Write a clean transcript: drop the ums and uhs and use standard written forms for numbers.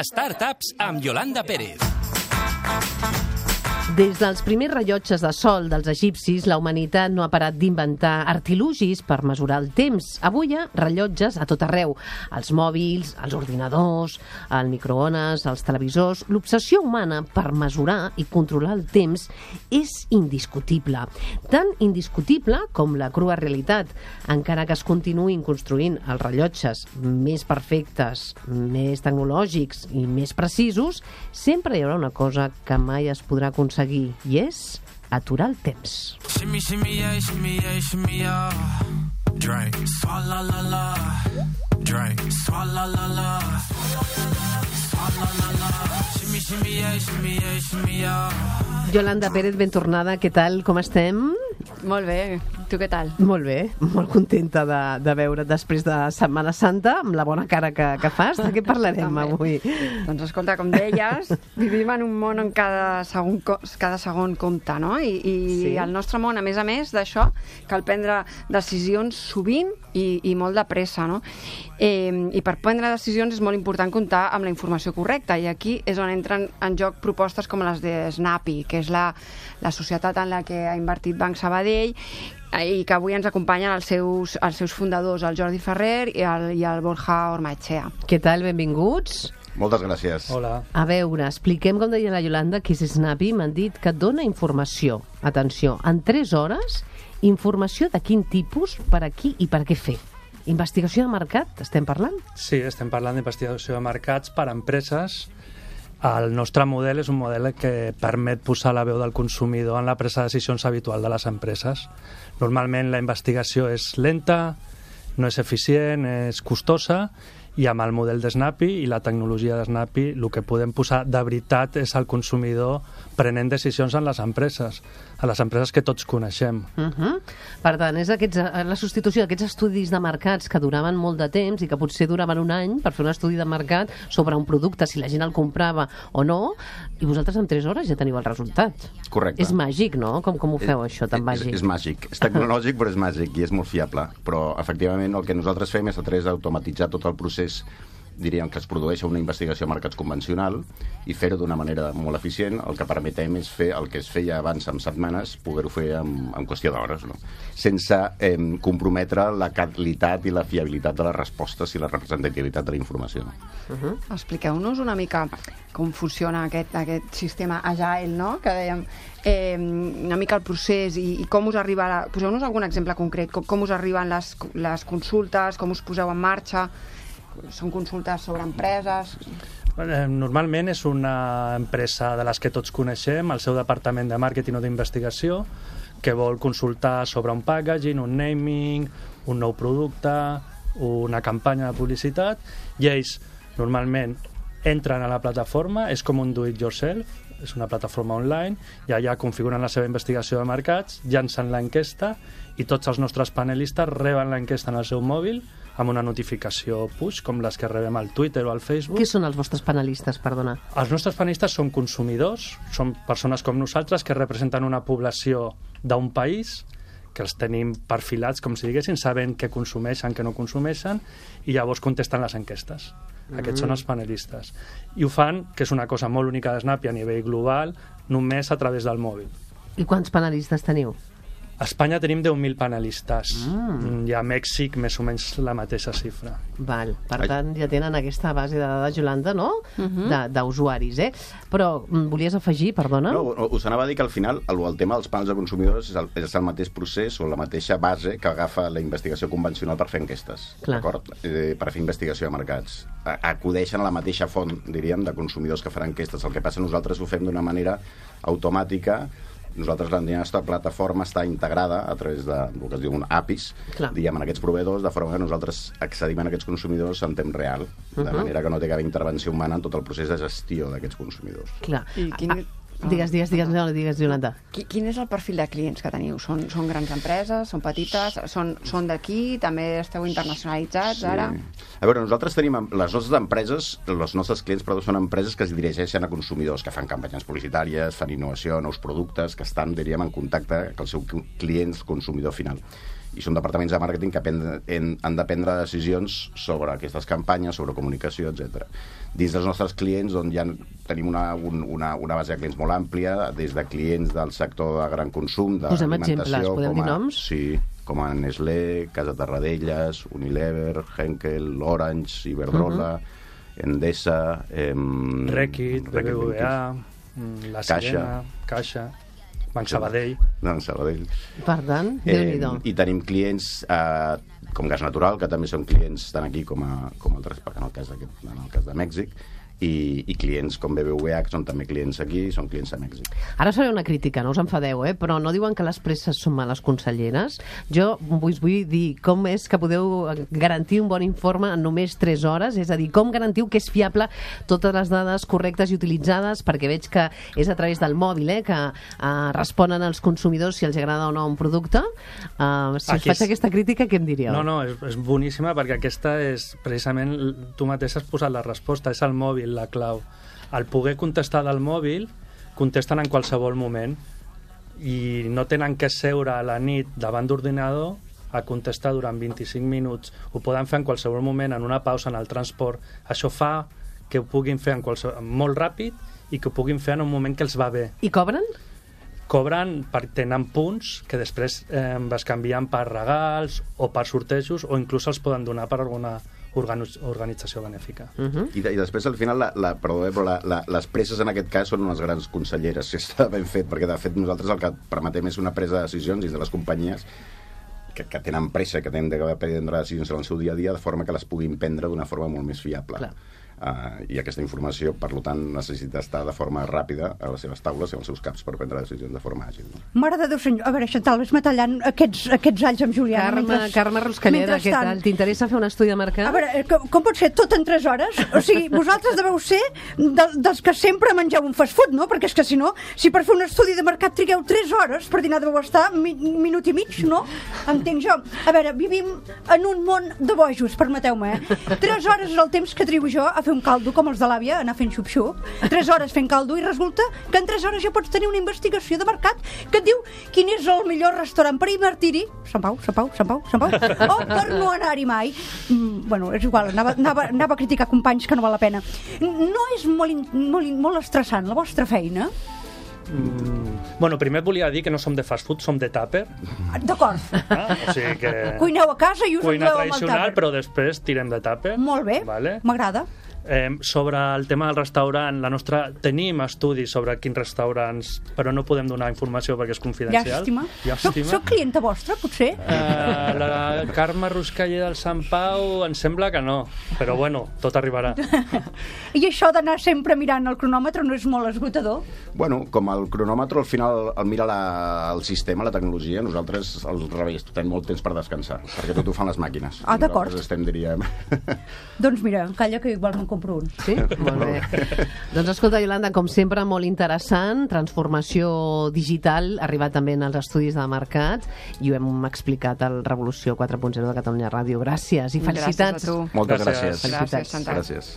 Startups amb Yolanda Pérez. Des dels primers rellotges de sol dels egipcis, la humanitat no ha parat d'inventar artilugis per mesurar el temps. Avui hi ha rellotges a tot arreu. Els mòbils, els ordinadors, el microones, els televisors... L'obsessió humana per mesurar i controlar el temps és indiscutible. Tan indiscutible com la crua realitat. Encara que es continuïn construint els rellotges més perfectes, més tecnològics i més precisos, sempre hi haurà una cosa que mai es podrà aconseguir, i és aturar el temps. Shimmy, shimmy, yeah, shimmy, yeah, shimmy, yeah. Drink. Swalla la la. Drink. Swalla la la. Swalla la la. Shimmy, shimmy, yeah, shimmy, yeah, shimmy, yeah. Yolanda Pérez, ben tornada. Què tal? Com estem? Molt bé. Tu què tal? Molt bé. Molt contenta de veure't després de Setmana Santa, amb la bona cara que fas. De què parlarem avui? Doncs escolta, com deies, vivim en un món on cada segon compta, no? I el nostre món, a més d'això, cal prendre decisions sovint i molt de pressa, no? I per prendre decisions és molt important comptar amb la informació correcta, i aquí és on entren en joc propostes com les de Snappy, que és la societat en la que ha invertit Banc Sabadell, i que avui ens acompanyen els seus fundadors, el Jordi Ferrer i el Borja Ormaechea. Què tal? Benvinguts. Moltes gràcies. Hola. A veure, expliquem, com deia la Yolanda, què és Snappy. M'han dit que dona informació. Atenció, en 3 hores, informació de quin tipus, per a qui i per a què fer. Investigació de mercat, estem parlant? Sí, estem parlant d'investigació de mercats per a empreses. El nostre model és un model que permet posar la veu del consumidor en la presa de decisions habitual de les empreses. Normalment la investigació és lenta, no és eficient, és costosa, i amb el model de Snappy i la tecnologia de Snappy el que podem posar de veritat és el consumidor prenent decisions en les empreses que tots coneixem. Per tant, és la substitució d'aquests estudis de mercats que duraven molt de temps i que potser duraven un any per fer un estudi de mercat sobre un producte, si la gent el comprava o no, i vosaltres en 3 hores ja teniu el resultat. Correcte. És màgic, no? Com ho feu, això, tan màgic? És màgic. És tecnològic, però és màgic i és molt fiable. Però, efectivament, el que nosaltres fem és automatitzar tot el procés, diríem, que es produeix una investigació a mercats convencional, i fer-ho d'una manera molt eficient. El que permetem és fer el que es feia abans en setmanes, poder-ho fer en qüestió d'hores, no? Sense comprometre la qualitat i la fiabilitat de les respostes i la representativitat de la informació. Expliqueu-nos una mica com funciona aquest sistema agile, no?, que dèiem, una mica el procés i com us arriba... Poseu-nos algun exemple concret, com us arriben les consultes, com us poseu en marxa. Són consultes sobre empreses? Normalment és una empresa de les que tots coneixem, el seu departament de màrqueting o d'investigació, que vol consultar sobre un packaging, un naming, un nou producte, una campanya de publicitat, i ells normalment entren a la plataforma, és com un do-it-yourself, és una plataforma online, i allà configuren la seva investigació de mercats, llancen l'enquesta, i tots els nostres panelistes reben l'enquesta en el seu mòbil amb una notificació push, com les que rebem al Twitter o al Facebook. Què són els vostres panelistes, perdona? Els nostres panelistes són consumidors, són persones com nosaltres que representen una població d'un país, que els tenim perfilats, com si diguessin, sabent què consumeixen, què no consumeixen, i llavors contesten les enquestes. Aquests són els panelistes. I ho fan, que és una cosa molt única de Snappy a nivell global, només a través del mòbil. I quants panelistes teniu? A Espanya tenim 10.000 panelistes. I a Mèxic més o menys la mateixa xifra. Val. Per tant, ja tenen aquesta base de dades, Yolanda, no? D'usuaris, Però volies afegir, perdona? No, us anava a dir que al final el tema dels panels de consumidors és el mateix procés o la mateixa base que agafa la investigació convencional per fer enquestes. D'acord? Per fer investigació de mercats. Acudeixen a la mateixa font, diríem, de consumidors que faran enquestes. El que passa, nosaltres ho fem d'una manera automàtica. Nosaltres, la nostra plataforma està integrada a través del que es diu un APIs, diguem, en aquests proveïdors, de forma que nosaltres accedim a aquests consumidors en temps real, de manera que no té cap intervenció humana en tot el procés de gestió d'aquests consumidors. Clar. Digues, Yolanda. Quin és el perfil de clients que teniu? Són grans empreses? Són petites? Són d'aquí? També esteu internacionalitzats ara? A veure, nosaltres tenim les nostres empreses, els nostres clients, són empreses que es dirigeixen a consumidors, que fan campanyes publicitàries, fan innovació, nous productes, que estan, diríem, en contacte amb el seu client, consumidor final. I són departaments de màrqueting que han de prendre decisions sobre aquestes campanyes, sobre comunicació, etc. Dins dels nostres clients, doncs, ja tenim una base de clients molt àmplia, des de clients del sector de gran consum, d'alimentació... Posem exemples, podem dir noms? Sí, com a Nestlé, Casa Tarradellas, Unilever, Henkel, Orange, Iberdrola, Endesa... Reckitt, BBVA, La Sirena, Caixa... Banc Sabadell. Per tant, Déu-n'hi-do. I tenim clients com Gas Natural, que també són clients tant aquí com altres, en el cas de Mèxic, i clients com BBVA, que són també clients aquí, són clients a Mèxic. Ara seré una crítica, no us enfadeu, però no diuen que les presses són males conselleres. Jo us vull dir com és que podeu garantir un bon informe en només 3 hores, és a dir, com garantiu que és fiable totes les dades correctes i utilitzades, perquè veig que és a través del mòbil, que responen als consumidors si els agrada o no un producte. Si us faig aquesta crítica, què em diríeu? No, és boníssima, perquè aquesta és, precisament, tu mateix has posat la resposta, és el mòbil, la clau. Al poder contestar del mòbil, contesten en qualsevol moment i no tenen que seure a la nit davant d'ordinador a contestar durant 25 minuts. Ho poden fer en qualsevol moment, en una pausa, en el transport. Això fa que ho puguin fer molt ràpid i que ho puguin fer en un moment que els va bé. I cobren? Cobren, tenen punts que després es canvien per regals o per sortejos, o inclús els poden donar per alguna organització benèfica. I després, al final, però les presses en aquest cas són unes grans conselleres, si està ben fet, perquè de fet nosaltres el que permetem és una presa de decisions dins de les companyies que tenen pressa, que tenen de prendre decisions en el seu dia a dia, de forma que les puguin prendre d'una forma molt més fiable. Clar. I aquesta informació, per tant, necessita estar de forma ràpida a les seves taules i als seus caps per prendre decisions de forma àgil. Mare de Déu senyor, a veure, Xantal, ves-me tallant aquests alls amb Juliana. Carme Ruscalleda, què tal? T'interessa fer un estudi de mercat? A veure, com pot ser tot en 3 hores? O sigui, vosaltres deveu ser dels que sempre mengeu un fast food, no? Perquè és que si no, si per fer un estudi de mercat trigueu 3 hores, per dinar deveu estar minut i mig, no? Entenc jo. A veure, vivim en un món de bojos, permeteu-me, 3 hores és el temps que trigo jo a fer un caldo com els de l'àvia, anar fent xup-xup, 3 hores fent caldo, i resulta que en 3 hores ja pots tenir una investigació de mercat que et diu quin és el millor restaurant per invertir-hi. Sant Pau, o per no anar-hi mai. Bueno, és igual, anava a criticar companys que no val la pena. No és molt estressant la vostra feina? Bueno, primer volia dir que no som de fast food, som de tàper. D'acord. O sigui que... Cuineu a casa i us cuina endeu amb el tradicional, tàper. però després tirem de tàper. Molt bé, vale? M'agrada. Sobre el tema del restaurant, tenim estudis sobre quins restaurants, però no podem donar informació perquè és confidencial. Llàstima. Soc clienta vostra, potser? La Carme Ruscalleda del Sant Pau em sembla que no, però bueno, tot arribarà. I això d'anar sempre mirant el cronòmetre no és molt esgotador? Bueno, com el cronòmetre al final el mira el sistema, la tecnologia, nosaltres al revés, tenim molt temps per descansar, perquè tot ho fan les màquines. D'acord. Nosaltres estem, diríem... Doncs mira, calla que igual me'n compro un. Sí? Molt bé. Doncs escolta, Iolanda, com sempre, molt interessant, transformació digital, arribat també en els estudis de mercat, i ho hem explicat al Revolució 4.0 de Catalunya Ràdio. Gràcies i felicitats. Gràcies a tu. Moltes gràcies. Gràcies, Santa. Gràcies.